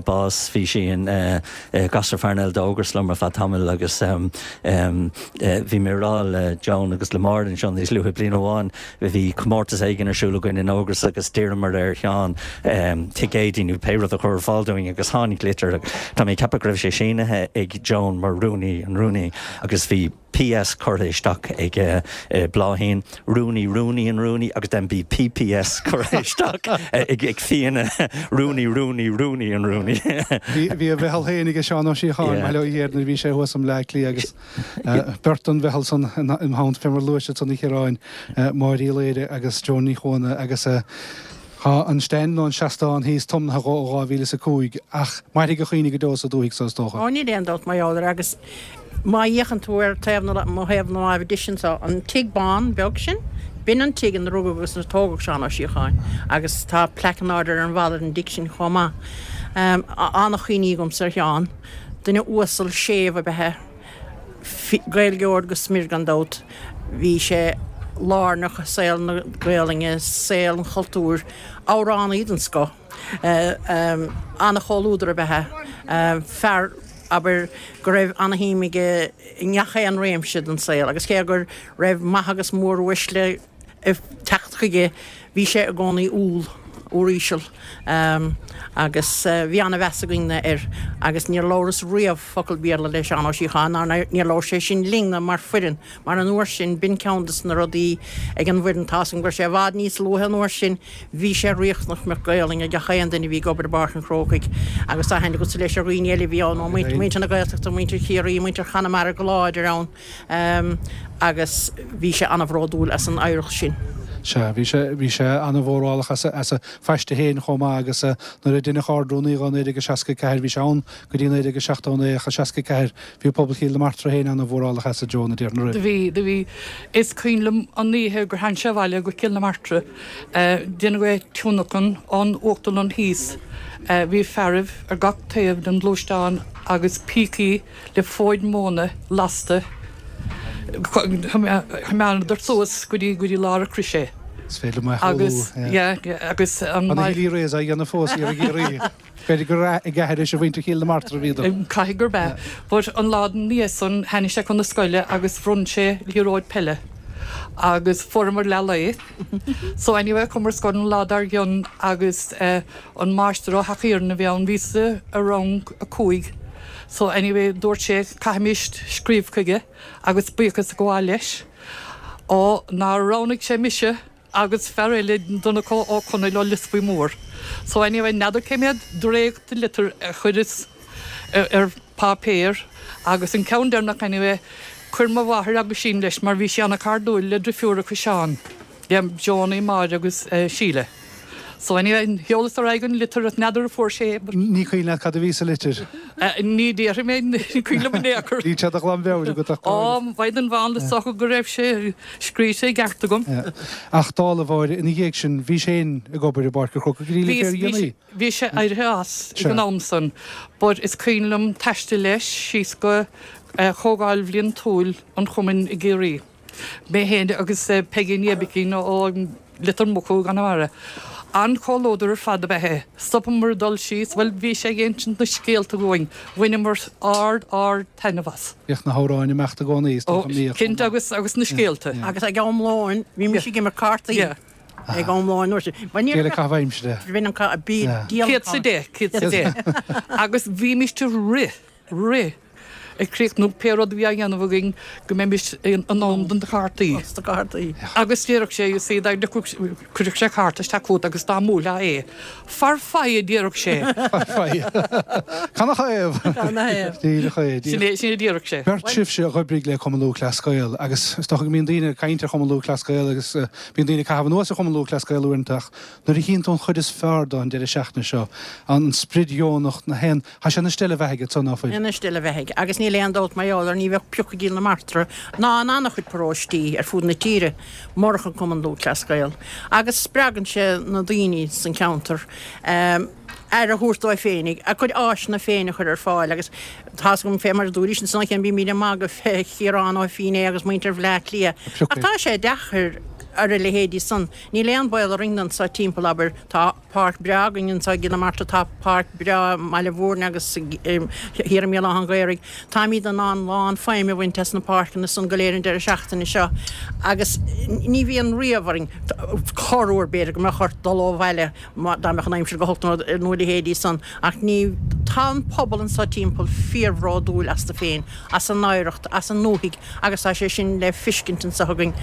bás bhí sí ina gasúr farnell d'Ógras liom ar feadh tamaill agus bhí mé ag rá le Joan agus le Máire anseo níos luaithe bliain amháin bhí comórtas éigin ar siúl againn in Ógras agus d'iarramar ar Sheán ticéidí nó pé rud a chur ar fáil dúinn agus tháinig litir Tá mé ag ceapadh go raibh sé sínithe ag Joan mar rúnaí an rúnaí agus bhí P S curtha isteach ag Bláithín, rúnaí rúnaí an rúnaí agus then bhí P P S curtha isteach ag ag Fianna, rúnaí rúnaí rúnaí an rúnaí. Bhí a mheitheal féin ag Seán Ó Síocháin bail ó Dhia air nuair a bhí sé thuas i mBleá Cliath agus beirt den mheitheal san im theannta fé mar a luaigh siad san a Chiaráin, Máire Uí Laoire agus Joan Ní Chuana agus tá an stand nó an seastán thíos tiomnaithe dhó ó dhá mhíle is a cúig ach mairfidh a chuimhne go deo sa dúthaigh so is dócha. Ó níl aon dabht mar gheall air agus má fhéachann tú ar taobh na mo thaobh na láimhe deise anseo, an tigh bán beag sin, b'in an tigh ina rugadh agus ina tógadh Seán Ó Síocháin agus tá plaic in airde ar an bhalla ar an dtigh sin chomh maith. An-chuimhní agamsa ar Sheán, duine uasal séimh ab ea é, Gaeilgeoir go smior gan dabht. Bhí sé lárnach i saol na Gaelainne, saol an chultúir, amhránaí den scoth, an-chomhluadar ab ea é, fear, abair, go raibh an-shuim aige i ngach aon réimse den saol agus cé go raibh maithe agus móruaisle ag teacht chuige, bhí sé i gcónaí umhal, uiríseal agus bhí an-mheas againne air agus níor labhras riamh focal Béarla le Seán Ó Síocháin ná níor labhair sé sin linne mar foireann mar an uair sin b'in ceann des na rudaí ag an bhfoireann tá's agam go raibh sé i bhfad níos luaithe an uair sin bhí sé riachtanach go mbeadh Gaolainn ag gach aon duine a bhí ag obair i bPáirc an Chrócaigh agus tá aithne agatsa leis ar dhaoine eile a bhí ann ó muintir na Gaeltachta, muintir Chiarraí, muintir Chonamara go láidir ann agus bhí sé an-bhródúil as an oidhreacht sin. Sea, bhí sé, bhí sé an-mhórálach as a, as a phaiste féin chomh maith agus nuair a deineadh Ard-Rúnaí dhó i naoi déag a seasca a ceathair, bhí sé ann go dtí naoi déag a seachtó a naoi ach i seasca a ceathair bhí pobal Chill na Martra féin an-mhórálach as a Joan, a déarfainn, an Do raibh? bhí, do bhí. Is cuimhin liom an oíche gur tháinig sé abhaile go Cill na Martra, déanadh é tionlacan ón uachtarlann thíos. Bhí fearaibh ar gach taobh den ghluaisteán agus pící le fóid móna lasta. Choimeádadar suas go dtí go dtí lár an chrois é. Is féidir liom é a shamhlú. Agus, yeah, yeah, agus an. Tá na Healy-Raes á dhéanamh fós thiar i gCiarraí. B'fhéidir gur ag aithris a mhuintir Chill na Martra a bhíodar. Caithfidh gurb ea. But an lá ina dhiaidh san, tháinig sé chun na scoile agus bhronn sé liathróid peile. Agus fuaireamar leath lae. So anyway, chuamar ar scoil an lá dár gcionn agus an máistir ó Theach Iarainn a bhí ann, bhíos-sa i rang a cúig. So anyway, dúirt sé, caithfimis scríobh chuige agus buíochas a ghabháil leis. Ó, nár roghnaigh sé mise agus fear eile, Donncha Ó Conaill ó Lios Buí Mór. So anyway, n'fheadar cé mhéad dréacht de litir a chuireas ar páipéar agus an ceann deireanach anyway, chuir mo mháthair aguisín leis mar bhí sí ana-chairdiúil le drifiúracha Seán, le Joanie, Máire agus Síle. So anyway, sheolas ar aghaidh an litir ach n'fheadar an fuair sé é. Ní cuimhin leat cad a bhí sa litir? Ní déarfaidh mé, ní cuimhin liom in aon chor. Níl sé de ghlanmheabhair agat ach go háirithe. Ó, mhaighdean mhánla, is dócha go raibh sé scríte i gceart agam. Ach dála Mháire, ina dhiaidh sin, bhí sé féin ag obair i bPáirc an Chrócaigh go dtí le fíordhéanaí. Bhí sé éirithe as ag an am san, but is cuimhin liom taisteal leis síos go Comhdháil Bhliantúil an Chumainn i gCiarraí. Mé féin agus Peigín Aibicín ó Leitir Mucú i gConamara. An-chomhluadar ar fad ab ea é. Stopamar ag dul síos, bhuel, bhí sé ag insint na scéalta dhúinn. Bhaineamar ard, ard taitneamh as. Bhíodh na hamhráin ag imeacht i gcónaí, is dócha, an mbíodh? Cinnte, agus, agus na scéalta. Agus ag am lóin, bhímis ag imirt cártaí. Ag am lóin, nuair sin. Díol ag caitheamh aimsire. Bhí an ca, bí, díol. Céad 's a deich, céad 's a deich. Agus bhímis ag rith, rith. ag críochnú pé rud a bhí á dhéanamh againn go mbeimis in am do na cártaí. Dos na cártaí. Agus déarfadh sé, you see, dá dtiocfadh, cuirfeadh sé cárta isteach chugat agus dá mbuailfeá é, far faighe, a déarfadh sé. Far faighe. Canathaobh? Canathaobh? Díreach é, díreach. Sin é, sin é a déarfadh sé. Beirt sibhse a dh'oibrigh le Cumann Lúthchleas Gael agus is dócha go mbíonn daoine ag caint ar Chumann Lúthchleas Gael agus bíonn daoine ag caitheamh anuas ar Chumann Lúthchleas Gael uaireanta ach nuair a chíonn tú an chuid is fearr de an deireadh seachtaine seo, an sprid dheonach, na haon, Tá sé ina steille bheathaidh ansan, ná fuil? Ina steille bheathaidh. Agus níl aon dabht mar gheall air, ní bheadh pioc i gCill na Martra ná in an-chuid paróistí ar fud na tíre murach an Cumann Lúthchleas Gael. Agus spreagann sé na daoine san cheantar aire a thabhairt dóibh féinig, a gcuid áiseanna féin a chur ar fáil agus tá's agam fé mar a dúraís ansan cheana bímid ag magadh fé Chiarán Ó Fínné agus muintir Bhleá Cliath. Ach tá sé deacair ar a leithéidí san. Níl aon baol orainn anso timpeall, abair. Tá páirc breá againn anso i gCill na Martra, tá páirc breá i mBaile Mhúirne agus thiar i mBéal Átha an Ghaorthaidh. Táimid in ann lán feidhm a bhaint as na páirceanna san go léir an deireadh seachtaine seo agus ní bhíonn riamh orainn, corruair b'fhéidir go mbeadh ort dul ó bhaile dá mbeadh an aimsir go holc nó a leithéidí san ach ní, tá an pobal anso timpeall fíorbhródúil astu féin, as a n-oidhreacht, as a ndúthaigh agus tá sé sin le fiscint anso againn.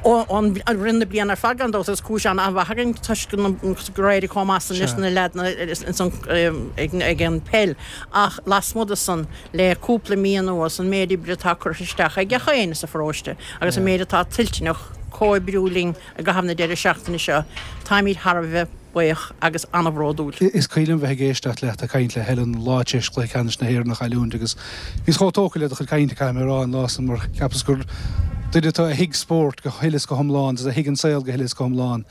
I rith na bliana ar fad gan dabht agus cúis an-mhaith againn toisc gur éirigh chomh maith san leis na leaideanna ag an peil ach lasmuigh de san le cúpla mí anuas an méid oibre atá curtha isteach ag gach éinne sa pharóiste agus an méid atá toilteanach comhoibriú linn i gcaitheamh na deireadh seachtaine seo táimid thar a bheith buíoch agus an-bhródúil. Is cuimhin liom bheith ag éisteacht leat ag caint le Helen an lá tar éis Chluiche Ceannais na hÉireann a chailliúint agus bhíos chomh tógtha le do chuid cainte, caithfidh mé a rá, an lá san mar cheapas gur duine tú a thuig spórt go huile is go hiomlán agus a thuig an saol go huile is go hiomlán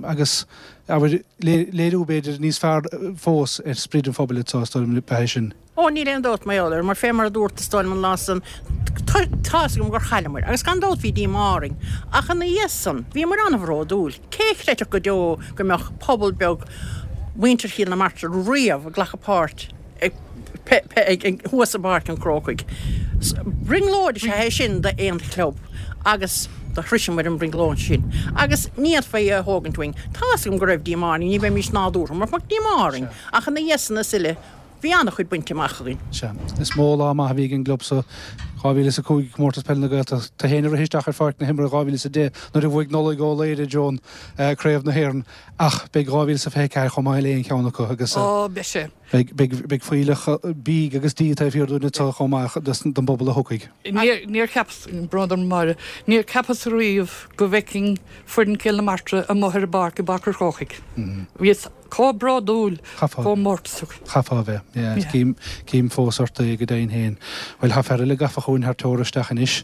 agus, abair, léiriú b'fhéidir níos fearr fós ar sprid an phobail atá, is dóigh liom, ab ea é sin. Ó, níl aon dabht mar gheall air, mar fé mar a dúrt, is dóigh liom, an lá san, tá's agam gur chailleamair, agus gan dabht bhí díomá orainn, ach ina dhiaidh san, bhíomair an-bhródúil. Cé a chreidfeadh go deo go mbeadh pobal beag mhuintir Chill na Martra riamh ag glacadh páirt ag thuas i bPáirc an Chrócaigh. Brionglóid is ea é sin d'aon chlub agus do shroiseamair an bhrionglóid sin agus ní fhéadfaí é a thógaint uainn. Tá's agam go raibh díomá orainn, ní bheimis nádúrtha murach mbeadh díomá orainn, ach ina dhiaidh san is uile, bhí an-chuid bainte amach againn. Sea. Is mó lá maith a bhí ag an gclub so. dhá mhíle is a cúig, Comórtas Peile na Gaeltachta. Tú féin a rith isteach ar pháirc na himeartha dhá mhíle is a deich nuair a bhuaigh Nollaig Ó Laoire, Joan, Craobh na hÉireann. Ach beidh dhá mhíle is a fiche ceathair chomh maith le aon cheann acu agus. Ó, beidh sé. Beidh, beidh, beidh fuílleach bídh agus dí taobh thiar dúinn anseo chomh maith don bpobal a thiocfaidh. Níor, níor cheapas, brón orm a Mháire, níor cheapas riamh go bhfeicfinn foireann Chill na Martra amuigh ar an bpáirc i bPáirc an Chrócaigh. Bhíos chomh bródúil, chomh mórtasach. Chaithfeá a bheith, yeah. Cím, cím fós ort é go deimhin féin. Bhuel, tá fear eile gafa chugainn thar teora isteach anois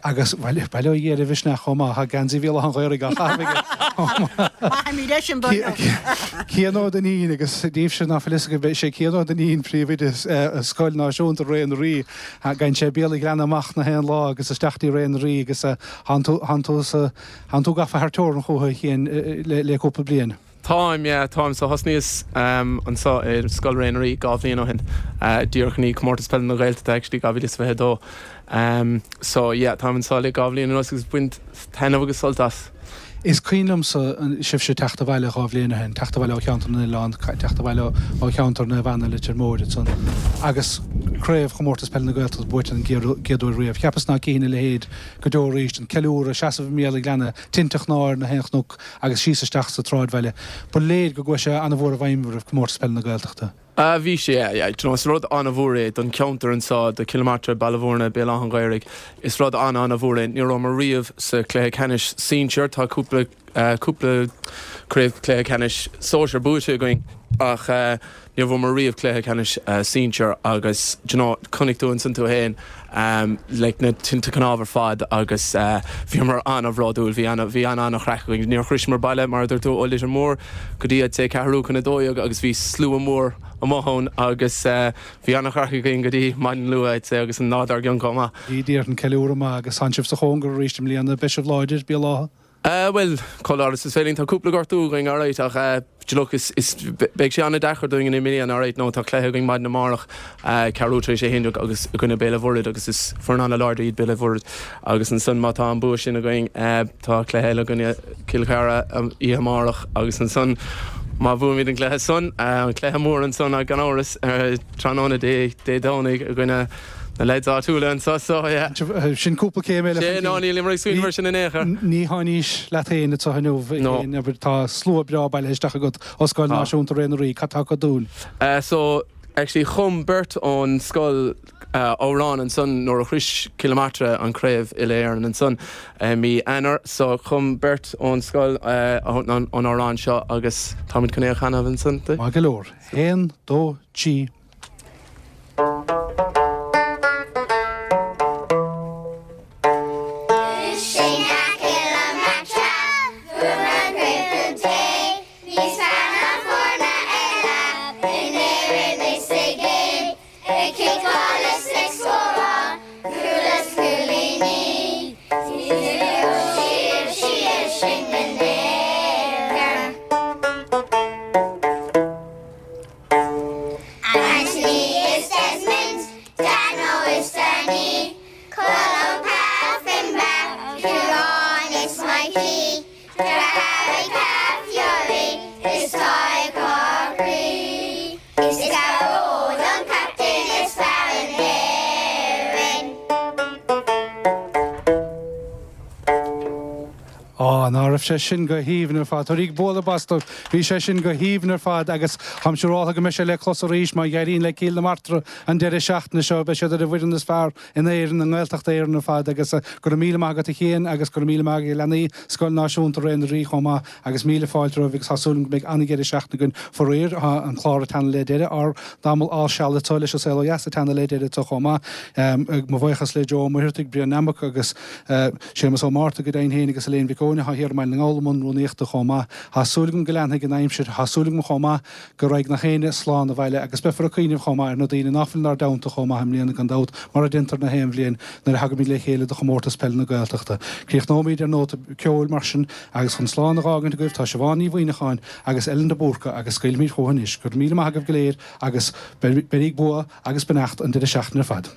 agus, bhuel, bail ó Dhia ar a mhisneach chomh maith, tá geansaí Bhéal Átha an Ghaorthaidh á chaitheamh aige. Maithimid é sin don Cian Ó Duinnín agus daoibhse ná fuil fhios agaibh, is é Cian Ó Duinnín príomhoide Scoil Náisiúnta Ré na Rí. Gabhann sé Béal an Ghleanna amach na haon lá agus isteach dtí Ré na Rí agus thánn tú, thánn tú sa, thánn tú gafa thar teorainn chúthu a Chiain le cúpla bliain. Táim, yeah, táim. So thosnaíos anseo i Scoil Ré na Rí dhá bhliain ó shin, díreach i ndiaidh Comórtas Peile na Gaeltachta actually dhá mhíle is fiche a dó. So yeah, táim anseo le dhá bhliain anuas agus ag baint taitneamh agus sult as. Is cuimhin liomsa sibhse teacht abhaile dhá bhliain ó shin, teacht abhaile ó Cheantar na nOileán, teacht abhaile ó cheantar Naomh Anna, Leitir Móir ansan, agus craobh Chomórtas Peile na Gaeltachta buaite den gcéad uair riamh. Cheapas ná cífinn a leithéid go deo arís, an ceiliúradh, seasamh i mBéal an Ghleanna, tinte chnámh ar na haon chnoc agus síos isteach sa tsráidbhaile. Ba léir go gcuaigh sé an-mhór i bhfeidhm oraibh, Comórtas Peile na Gaeltachta. Ah bhí sé, yeah, yeah. Do you know, is rud an-mhór é don cheantar anseo, do Chill na Martra, Baile Bhúirne, Béal Átha an Ghaorthaidh. Is rud an-an-mhór é. Ní rabhamar riamh sa chluiche ceannais sinsir. Tá cúpla, cúpla craobh cluiche ceannais sóisir buaite againn ach níor bhuamar riamh cluiche ceannais sinsir agus do you know, chonaic tú ansan tú fhéin like na tinte cnámh ar fad agus bhíomar an-bhródúil, bhí an, bhí an-an-chraic againn. Níor shroiseamar baile, mar a dúirt tú, ó Leitir Móir go dtí I'd say ceathrú chun a dó dhéag agus bhí slua mór amuigh ann agus bhí an-chraic againn go dtí maidin luath I'd say agus an lá dár gcionn chomh maith. Bhí déarfainn ceiliúradh maith agus tánn sibh sa chóngar arís i mbliana, beidh sibh láidir, Béal Átha? Bhuel, chomh láidir is is féidir linn. Tá cúpla gortú againn, alright, ach look, is, is, beidh sé an-deacair dúinn i mbliana, alright, nó tá cluiche againn maidin amárach, ceathrú tar éis a haon déag agus i gcoinne Béal an Mhuirthead agus is foireann an-láidir iad Béal an Mhuirthead agus ansan má tá an bua sin againn, tá cluiche eile i gcoinne Cill Chartha oíche amárach agus ansan má bhuaimid an cluiche san, an cluiche mór ansan gan amhras, tráthnóna Dé, Dé Domhnaigh i gcoinne Na leaids áitiúla anseo so, yeah. Sin cúpla céim eile chun cinn. No, nílimid ag smaoineamh ar sin in aon chor. Ní haon aois leat féin anseo inniu, No. Tá slua breá bailithe isteach agat ó Scoil Náisiúnta Ré na Rí. Cad tá acu dúinn? So, actually chum beirt ón scoil amhrán ansan nuair a shrois Cill na Martra an craobh uile-Éireann ansan i mí Eanáir. So, chum beirt ón scoil an amhrán seo agus táimid chun é a chanadh ansan. Maith go leor. Haon, dó, trí. Á, ná raibh sé sin go haoibhinn ar fad. Tabhairíg bualadh bos dóibh. Bhí sé sin go haoibhinn ar fad agus táim siúráltha go mbeidh sé le clos arís má éiríonn le Cill na Martra an deireadh seachtaine seo. Beidh siad ar an bhfoireann is fearr in Éirinn, i nGaeltacht Éireann ar fad agus go raibh míle maith agat a Chian agus go raibh míle maith ag leanaí Scoil Náisiúnta Ré na Rí chomh maith agus míle fáilte romhaibh agus tá súil agam go mbeidh an-dheireadh seachtaine againn. Faraor, tá an clár ag teannadh le deireadh, ár dtamall al seal anseo leis an Saol Ó Dheas ag teannadh le deireadh anseo chomh maith. Mo bhuíochas le Joe Ó Muircheartaigh, Brian Nammock agus Séamus Ó Márta go deimhin féin agus Elaine Mhic Eoin atá thiar i mBaile na nGall i mbun rúnaíochta chomh maith. Tá súil agam go leanfaidh an aimsir, tá súil agam chomh maith go raghaidh nach éinne slán abhaile agus beifear ag cuimhneamh chomh maith ar na daoine ná fuil inár dteannta chomh maith i mbliana gan dabht mar a déantar na haon bhliain nuair a thagaimid le chéile do chomórtas peile na Gaeltachta. Críochnóimid ar nóta ceoil mar sin agus chun slán a dh'fhágaint agaibh tá Siobhán Ní Mhuimhneacháin agus Ellen de Búrca agus scaoilfimid chucu anois. Go raibh míle maith agaibh go léir agus beiríg bua agus beannacht an deireadh seachtaine ar fad.